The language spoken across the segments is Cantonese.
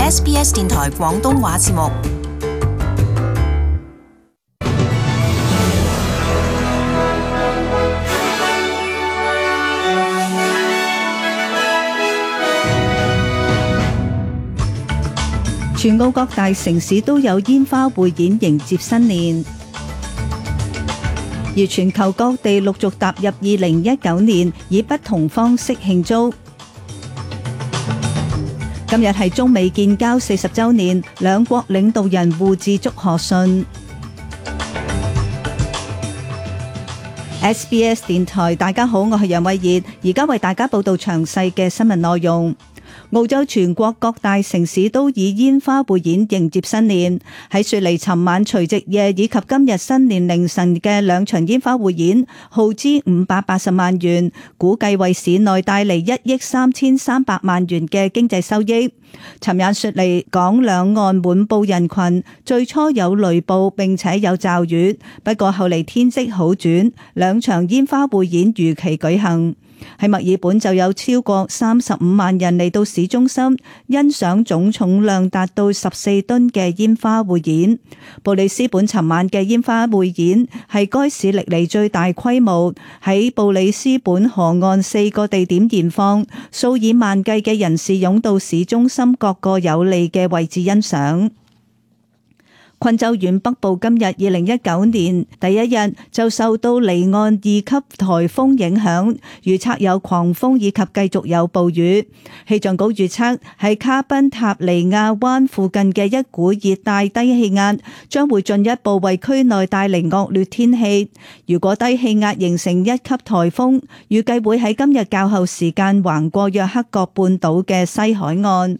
SBS 電台廣東話節目。全澳各大城市都有煙花匯演迎接新年，而全球各地陸續踏入2019年，以不同方式慶祝。今日係中美建交40週年，兩國領導人互致祝賀信。SBS 電台，大家好，我係楊慧儀，而家為大家報道詳細嘅新聞內容。澳洲全國各大城市都以煙花匯演迎接新年。喺雪梨尋晚除夕夜以及今日新年凌晨嘅兩場煙花匯演，耗資580萬元，估計為市內帶嚟1億3300萬元嘅經濟收益。尋晚雪梨港兩岸滿布人群，最初有雷暴並且有驟雨，不過後嚟天色好轉，兩場煙花匯演如期舉行。喺墨爾本就有超過35萬人嚟到市中心欣賞總重量達到14噸嘅煙花匯演。布里斯本尋晚嘅煙花匯演係該市歷嚟最大規模，喺布里斯本河岸4個地點燃放，數以萬計嘅人士湧到市中心各個有利嘅位置欣賞。昆州縣北部今日2019年第一日就受到離岸2級颱風影響，預測有狂風以及繼續有暴雨。氣象局預測喺卡賓塔尼亞灣附近嘅一股熱帶低氣壓將會進一步為區內帶嚟惡劣天氣。如果低氣壓形成1級颱風，預計會喺今日較後時間橫過約克角半島嘅西海岸。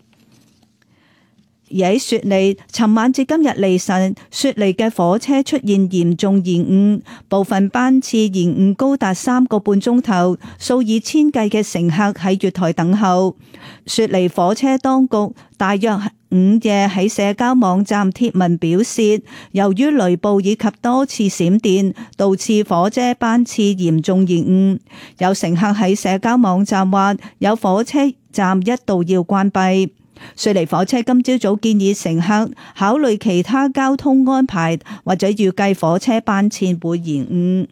而喺雪梨，尋晚至今日凌晨，雪梨嘅火車出現嚴重延誤，部分班次延誤高達3個半鐘頭，數以千計嘅乘客喺月台等候。雪梨火車當局大約午夜喺社交網站貼文表示，由於雷暴以及多次閃電，導致火車班次嚴重延誤。有乘客喺社交網站話，有火車站一度要關閉。雪梨火車今朝早建議乘客考慮其他交通安排，或者預計火車班次會延誤。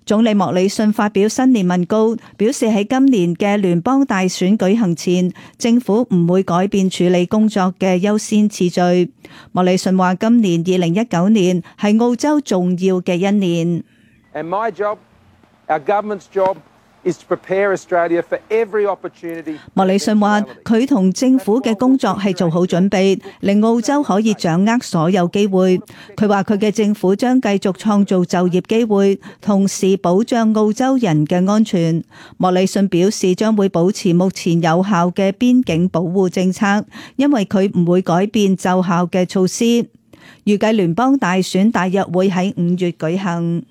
總理莫里遜發表新年文告，表示喺今年嘅聯邦大選舉行前，政府唔會改變處理工作嘅優先次序。莫里遜話今年2019年係澳洲重要嘅一年。And my job, our government's job,莫里遜話佢同政府嘅工作係做好準備，令澳洲可以掌握所有機會。佢話佢嘅政府將繼續創造就業機會，同時保障澳洲人嘅安全。莫里遜表示將會保持目前有效嘅邊境保護政策，因為佢唔會改變奏效嘅措施。預計聯邦大選大約會喺5月舉行。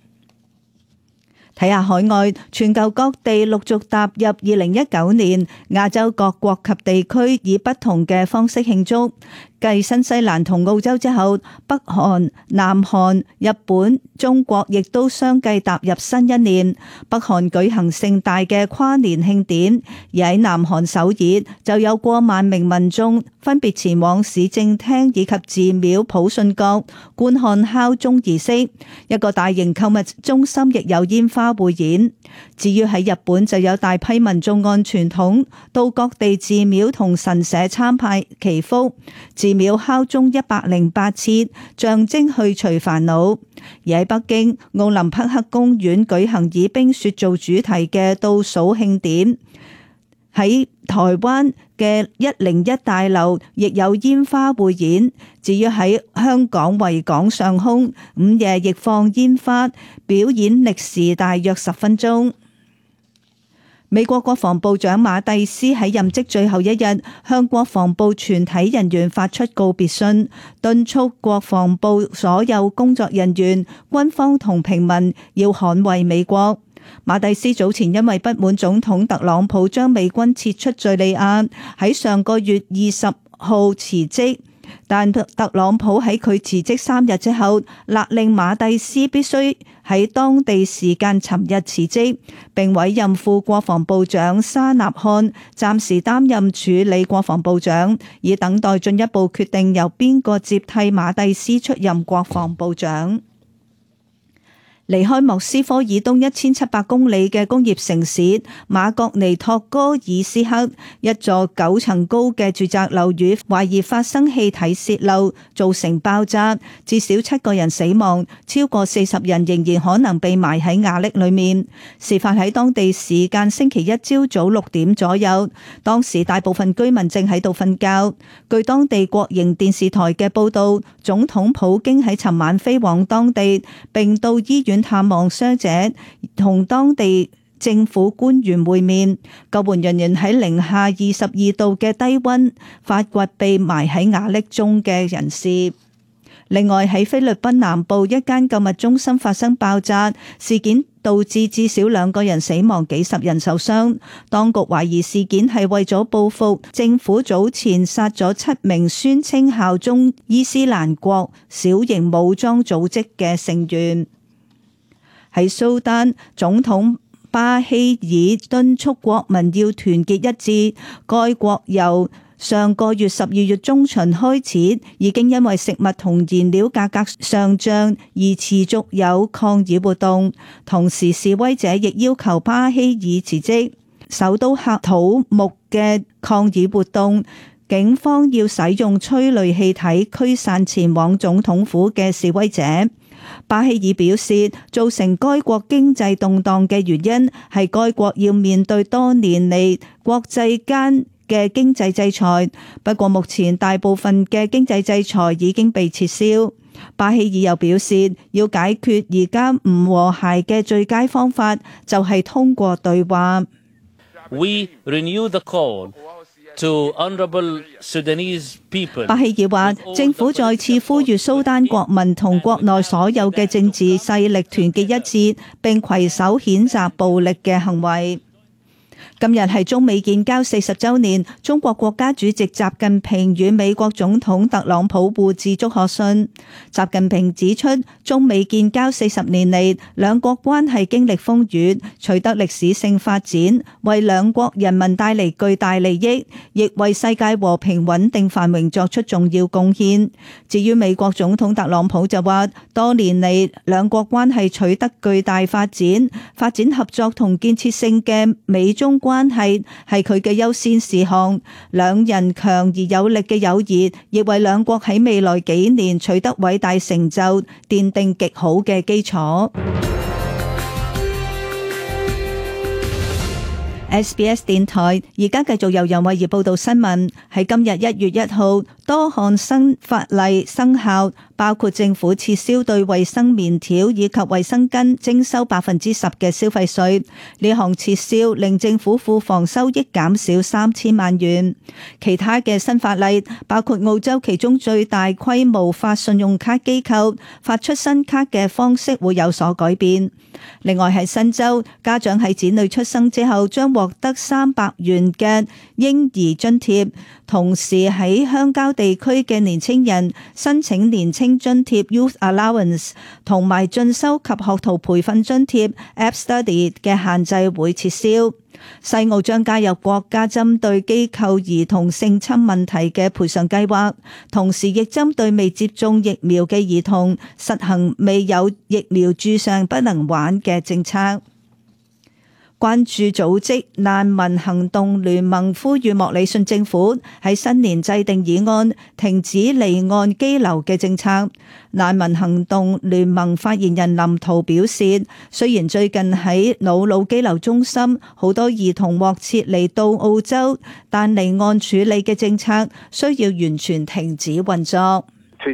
睇下海外，全球各地陸續踏入2019年，亞洲各國及地區以不同嘅方式慶祝。繼新西蘭同澳洲之後，北韓、南韓、日本、中國亦都相繼踏入新一年。北韓舉行盛大嘅跨年慶典，而喺南韓首爾就有過萬名民眾分別前往市政廳以及寺廟普信閣觀看敲鐘儀式。一個大型購物中心亦有煙花匯演。至於喺日本就有大批民眾按傳統到各地寺廟同神社參拜祈福。寺廟敲鐘108次，象徵去除煩惱。而喺北京，奧林匹克公園舉行以冰雪做主題嘅倒數慶典。喺台灣嘅101大樓亦有煙花匯演。至於喺香港維港上空，午夜亦放煙花，表演歷時大約10分鐘。美國國防部長馬蒂斯喺任職最後一日，向國防部全體人員發出告別信，敦促國防部所有工作人員、軍方同平民要捍衛美國。馬蒂斯早前因為不滿總統特朗普將美軍撤出敘利亞，喺上個月20號辭職。但特朗普喺佢辭職3日之後，勒令馬蒂斯必須喺當地時間尋日辭職，並委任副國防部長沙納漢暫時擔任處理國防部長，以等待進一步決定由邊個接替馬蒂斯出任國防部長。離開莫斯科以東1700公里嘅工業城市馬格尼托哥爾斯克，一座9層高嘅住宅樓宇懷疑發生氣體洩漏，造成爆炸，至少7個人死亡，超過40人仍然可能被埋喺瓦礫裏面。事發喺當地時間星期一朝早6點左右，當時大部分居民正喺度瞓覺。據當地國營電視台嘅報道，總統普京喺尋晚飛往當地，並到醫院探望傷者，同當地政府官員會面。救援人員喺零下22度嘅低溫發掘被埋喺瓦礫中嘅人士。另外喺菲律賓南部一間購物中心發生爆炸事件，導致至少2個人死亡，幾十人受傷。當局懷疑事件係為咗報復政府早前殺咗7名宣稱效忠伊斯蘭國小型武裝組織嘅成員。喺蘇丹，總統巴希爾敦促國民要團結一致。該國由上個月12月中旬開始，已經因為食物同燃料價格上漲而持續有抗議活動。同時，示威者亦要求巴希爾辭職。首都喀土穆嘅抗議活動，警方要使用催淚氣體驅散前往總統府嘅示威者。巴希爾表示，造成該國經濟動盪嘅原因係該國要面對多年嚟國際間嘅經濟制裁，不過目前大部分嘅經濟制裁已經被撤銷。巴希爾又表示，要解決而家唔和諧嘅最佳方法就係通過對話。We renew the call to honorable Sudanese people. 巴希爾話，政府再次呼籲蘇丹國民同國內所有嘅政治勢力團結一致，並攜手譴責暴力嘅行為。今日係中美建交40週年，中國國家主席習近平與美國總統特朗普互致祝賀信。習近平指出，中美建交40年嚟，兩國關係經歷風雨，取得歷史性發展，為兩國人民帶嚟巨大利益，亦為世界和平穩定繁榮作出重要貢獻。至於美國總統特朗普就話，多年嚟兩國關係取得巨大發展，發展合作同建設性嘅美中關係係佢嘅優先事項，兩人強而有力嘅友誼亦為兩國喺未來幾年取得偉大成就奠定極好嘅基礎。SBS 電台而家繼續由楊慧儀報道新聞。喺今日1月1號，多項新法例生效，包括政府撤銷對衛生棉條以及衛生巾徵收10%嘅消費稅。呢項撤銷令政府庫房收益減少3000萬元。其他嘅新法例包括澳洲其中最大規模發信用卡機構發出新卡嘅方式會有所改變。另外喺新州，家長喺子女出生之後將獲得300元嘅嬰兒津貼，同時喺鄉郊地區嘅年青人申請年青津貼 Youth Allowance 同埋進修及學徒培訓津貼 App Study 嘅限制會撤銷。西澳將加入國家針對機構兒童性侵問題嘅賠償計劃，同時亦針對未接種疫苗嘅兒童實行未有疫苗注上不能玩嘅政策。關注組織難民行動聯盟呼籲莫里遜政府喺新年制定議案，停止離岸羈留嘅政策。難民行動聯盟發言人林圖表示，雖然最近喺瑙魯羈留中心好多兒童獲撤離到澳洲，但離岸處理嘅政策需要完全停止運作。林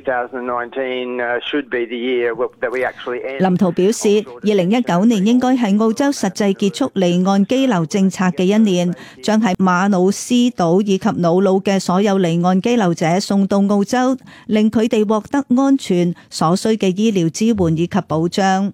圖表示，2019年應該係澳洲實際結束離岸羈留政策嘅一年，將係馬努斯島以及瑙魯嘅所有離岸羈留者送到澳洲，令佢哋獲得安全所需嘅醫療支援以及保障。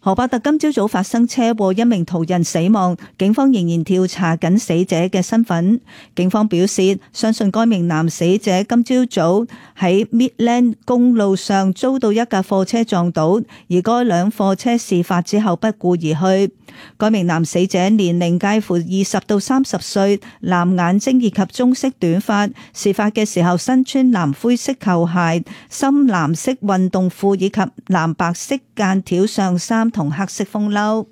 荷伯特今朝早發生車禍，一名途人死亡，警方仍然調查緊死者嘅身份。警方表示，相信該名男死者今朝早喺 Midland 公路上遭到一架貨車撞倒，而該輛貨車事發之後不顧而去。該名男死者年齡介乎20到30歲，藍眼睛以及棕色短髮。事發嘅時候身穿藍灰色球鞋、深藍色運動褲以及藍白色間條上衫同黑色風褸。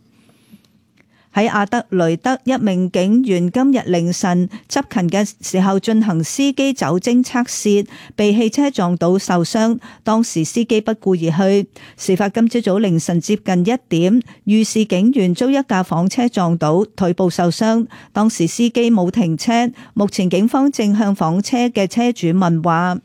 喺阿德雷德，一名警員今日凌晨執勤嘅時候進行司機酒精測試，被汽車撞倒受傷，當時司機不顧而去。事發今朝早凌晨接近1點，遇事警員遭一架房車撞倒，腿部受傷，當時司機冇停車。目前警方正向房車嘅車主問話。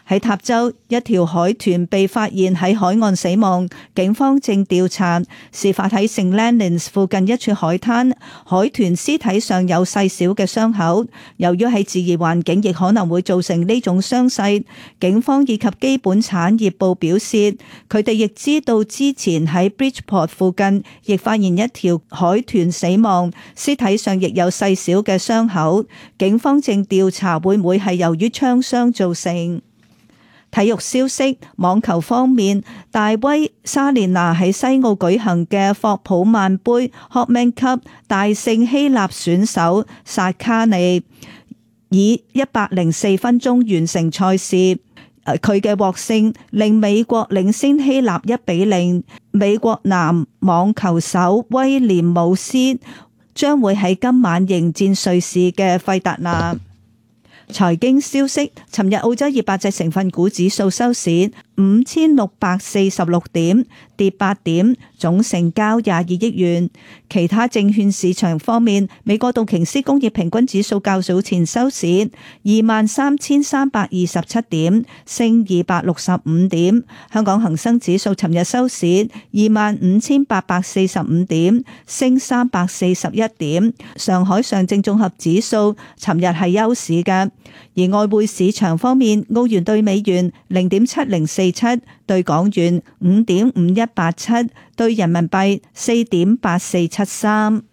喺塔州，一條海豚被發現喺海岸死亡，警方正調查。事發喺聖蘭尼斯附近一處海灘，海豚屍體上有細小嘅傷口，由於喺自然環境亦可能會造成呢種傷勢。警方以及基本產業部表示，佢哋亦知道之前喺 Bridgeport 附近亦發現一條海豚死亡，屍體上亦有細小嘅傷口。警方正調查會唔會係由於槍傷造成。體育消息，網球方面，大威莎蓮娜喺西澳舉行嘅霍普曼杯 Hopman Cup 大勝希臘選手薩卡尼，以104分鐘完成賽事。佢嘅獲勝令美國領先希臘1-0。美國男網球手威廉姆斯將會喺今晚迎戰瑞士嘅費達拿。財經消息，尋日澳洲200隻成分股指數收市5646點，跌8點，總成交22億元。其他證券市場方面，美國道瓊斯工業平均指數較早前收市23,327點，升265點。香港恒生指數尋日收市25,845點，升341點。上海上證綜合指數尋日係休市嘅。而外匯市場方面，澳元兌美元0.7047，兌港元5.5187，兌人民幣4.8473。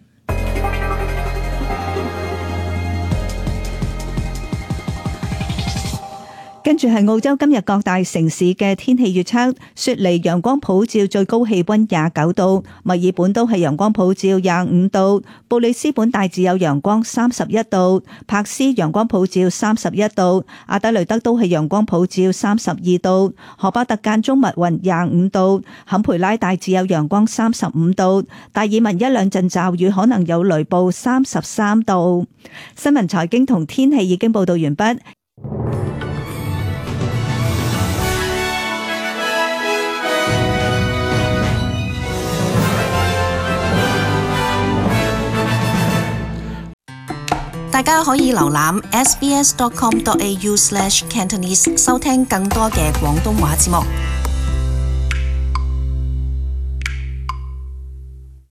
跟住係澳洲今日各大城市嘅天氣預測：雪梨陽光普照，最高氣溫29度；墨爾本都係陽光普照25度；布里斯本大致有陽光31度；柏斯陽光普照31度；阿德雷德都係陽光普照32度；荷巴特間中密雲25度；坎培拉大致有陽光35度；達爾文一兩陣驟雨，可能有雷暴33度。新聞財經同天氣已經報道完畢。大家可以瀏覽 sbs.com.au/cantonese 收聽更多嘅廣東話節目。